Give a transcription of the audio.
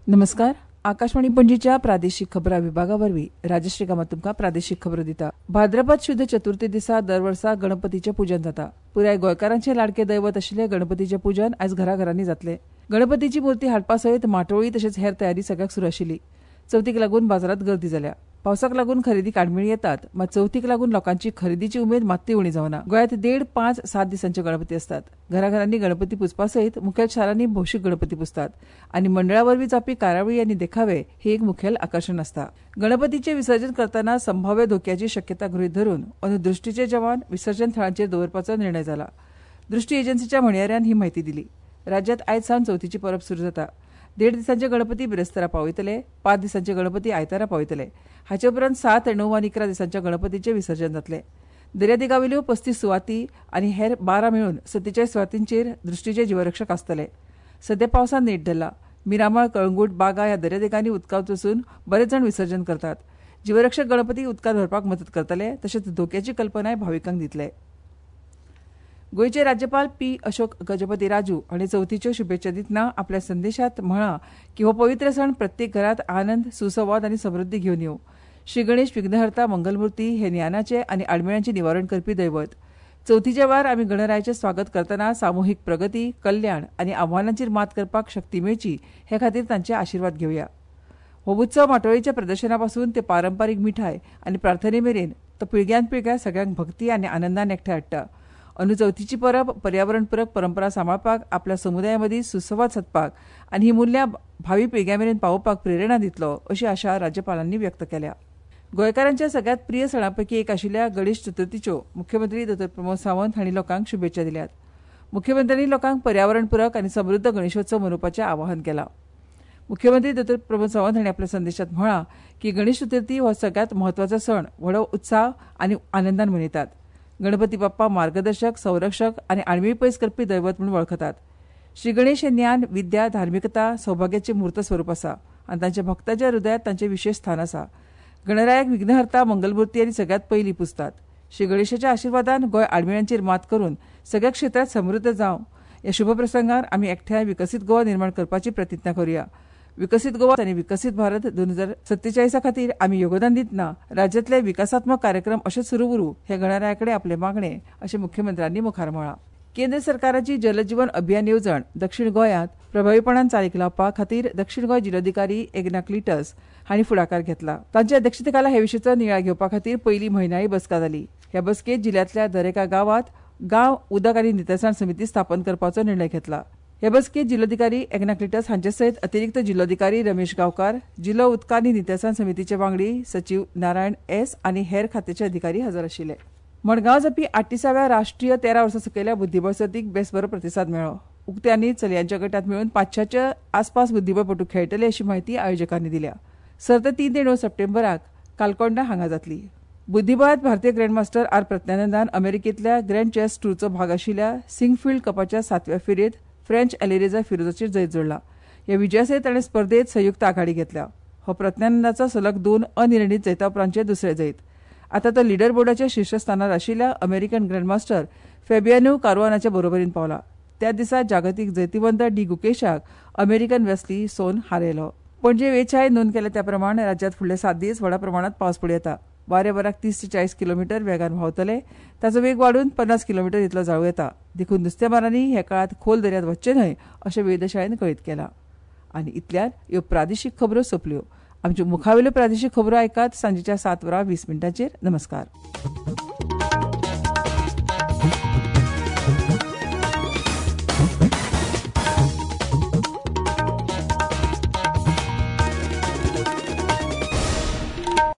नमस्कार. आकाशवाणी पणजीच्या प्रादेशीक खबरां विभागा वरवीं राजश्री कामत तुमकां प्रादेशीक खबरो दिता. भाद्रपद शुद्ध चतुर्थी दिसा दर वर्सा गणपतीचें पुजन जाता. पुराय गोंयकारांचें लाडकें दैवत आशिल्लें गणपतीचें पुजन आयज घराघरांनी जातलें. गणपतीची मूर्ती हाडपा सयत माटोळी तशेंच हेर तयारी सगळ्याक सुरू आशिल्ली. चवथीक लागून बाजारांत गर्दी जाल्या. पावसाक लागून खरेदीक आडमेळी येतात, मात चवथीक लागून लोकांची खरेदीची उमेद मात्तूय उणी जावना. गोंयांत 1.5, 5, 7 दिसांचे गणपती आसतात. घराघरांनी गणपती पुजपा सयत मुखेल शारांनी भौशीक गणपती पुजतात आनी मंडळा वरवीं जावपी कार्यावळी आनी देखावे हे एक मुखेल आकर्शण आसता. गणपतीचें विसर्जन करतना संभाव्य धोक्याची शक्यता गृहीत धरून अंदू दृश्टीचे जवान विसर्जन थळांचेर दवरपाचो निर्णय जाला. दृश्टी एजन्सीच्या म्हणयाऱ्यान ही म्हायती दिली. राज्यांत आयज सावन चवथीची परब सुरू जाता. 1.5 दिसांचे गणपती बिरेस्तारा पावयतले, 5 दिसांचे गणपती आयतारा पावयतले. हाचे उपरांत 7, 9 आनी 11 दिसांच्या गणपतीचें विसर्जन जातलें. दर्यादेगावेल्यो 35 सुवाती आनी हेर 12 मेळून 47 सुवातींचेर दृश्टीचे जीवरक्षक आसतले. सध्या पावसान नेट धरला. मिरामाळ, कळंगूट, बागा ह्या दर्यादेगांनी उदकांत वचून बरेच जाण विसर्जन करतात. जीवरक्षक गणपती उदकांत व्हरपाक मदत करतले, तशेंच धोक्याची कल्पनाय भाविकांक दितले. गोंयचे राज्यपाल पी अशोक गजपती राजू हांणी चवथीच्यो शुभेच्छा दितना आपल्या संदेशांत म्हळां की हो पवित्र सण प्रत्येक घरांत आनंद, सुसंवाद आनी समृद्धी घेवन येवं. श्री गणेश विघ्नहर्ता मंगलमूर्ती हे ज्ञानाचे आनी आडमेळ्यांचें निवारण करपी दैवत. चवथीच्या वेळार आमी गणरायाचें स्वागत करतना सामुहीक प्रगती, कल्याण आनी आव्हानांचेर मात करपाक शक्ती मेळची हे खातीर तांचे आशिर्वाद घेवया. हो उत्सव माटोळेच्या प्रदर्शना पासून ते पारंपारीक मिठाय आनी प्रार्थने मेरेन तो पिळग्यान पिळग्या सगळ्यांक भक्ती आनी आनंदान एकठांय हाडटा. अंदू चवथीची परब पर्यावरणपूरक परंपरा सांबाळपाक, आपल्या समुदाया मदीं सुसंवाद सादपाक आनी ही मुल्यां भावी पिळग्यां मेरेन पावोवपाक प्रेरणा दितलो अशी आशा राज्यपालांनी व्यक्त केल्या. गोंयकारांच्या सगळ्यांत प्रिय सणां पैकी एक आशिल्ल्या गणेश चतुर्थीच्यो मुख्यमंत्री डॉ. प्रमोद सावंत हांणी लोकांक शुभेच्छा दिल्यात. मुख्यमंत्र्यांनी लोकांक पर्यावरणपूरक आनी समृद्ध गणेशोत्सव मनोवपाचें आवाहन केलां. मुख्यमंत्री डॉ. प्रमोद सावंत हांणी आपल्या संदेशांत म्हळां की गणेश चतुर्थी हो सगळ्यांत म्हत्वाचो सण व्हडो उत्साह आनी आनंदान मनयतात. गणपती बाप्पा मार्गदर्शक, संरक्षक आनी आडमेळी पयस करपी दैवत म्हूण वळखतात. श्री गणेश हे ज्ञान, विद्या, धार्मिकता, सौभाग्याचें मूर्त स्वरूप आसा आनी तांच्या भक्तांच्या हृदयांत तांचें विशेश स्थान आसा. गणरायाक विघ्नहर्ता, मंगलमूर्ती आनी सगळ्यांत पयलीं पुजतात. श्री गणेशाच्या आशिर्वादान गोंय आडमेळ्यांचेर मात करून सगळ्या क्षेत्रांत समृद्ध जावं. ह्या शुभप्रसंगार आमी एकठांय विकसीत गोवा निर्माण करपाची प्रतिज्ञा करुया. विकसीत गोवा आनी विकसीत भारत 2047 खातीर आमी योगदान दितना राज्यांतले विकासात्मक कार्यक्रम अशेच सुरू उरूं हे गणराया कडेन आपलें मागणें अशें मुख्यमंत्र्यांनी मुखार म्हळां. केंद्र सरकाराची जलजीवन अभियान येवजण दक्षिण गोंयांत प्रभावीपणान चालीक लावपा खातीर दक्षिण गोंय जिल्लोधिकारी एग्ना क्लिटस हांणी फुडाकार घेतला. तांच्या अध्यक्षतेखाला हे विशींचो नियाळ घेवपा खातीर पयली म्हयन्याळी बसका जाली. ह्या बसकेंत जिल्ल्यांतल्या दरेका गांवांत गांव उदक आनी नितळसाण समिती स्थापन करपाचो निर्णय घेतला. हे बसकेंत जिल्लोधिकारी एग्ना क्लिटस हांचे सयत अतिरिक्त जिल्लोधिकारी रमेश गांवकार, जिल्लो उदक आनी नितळसाण समितीचे वांगडी सचीव नारायण एस आनी हेर खात्याचे अधिकारी हजर आशिल्ले. मडगांव जावपी 38व्या राष्ट्रीय 13 वर्सां सकयल्या बुद्धिबळ सर्तीक बेस बरो प्रतिसाद मेळ्ळो. उक्त्या आनी चलयांच्या गटांत मेळून 500च्या आसपास बुद्धिबळपटू खेळटले अशी म्हायती आयोजकांनी दिल्या. सर्त 3 ते 9 सप्टेंबराक कालकोंडा हांगा जातली. बुद्धिबळांत भारतीय ग्रँडमास्टर आर प्रज्ञानंदान अमेरिकेंतल्या ग्रँड चेस टूरचो भाग आशिल्ल्या सिंगफिल्ड कपाच्या 7व्या फेरयेंत फ्रेंच एलिरेजा फिरोजाचेर जैत जोडला. ह्या विजयासयत ताणें स्पर्धेत संयुक्त आघाडी घेतल्या. हो प्रज्ञानंदाचो सलग 2 अनिर्णीत जैता उपरांतचें दुसरें जैत. आतां तो लिडर बोर्डाच्या शीर्षस्थानार आशिल्ल्या अमेरिकन ग्रँडमास्टर फेबियानो कारुआनाच्या बरोबरीन पावला. त्या दिसा जागतीक जैतिवंत डी गुकेशाक अमेरिकन वेस्ली सोन हारयलो. पणजे वेचाय नोंद केल्या त्या प्रमाण राज्यांत फुडले 7 दीस व्हडा प्रमाणांत पावस पडूं येता. वारें वराक 30 ते 40 किलोमिटर वेगान व्हांवतले. ताचो वेग वाडून 50 किलोमिटर इतलो जावं येता. देखून नुस्तेमारांनी ह्या काळांत खोल दर्यांत वचचें न्हय अशें वेधशाळेन कळीत केलां. आनी इतल्यान ह्यो प्रादेशीक खबरो सोंपल्यो. आमच्यो मुखावेल्यो प्रादेशीक खबरो आयकात सांजेच्या 7:20. नमस्कार.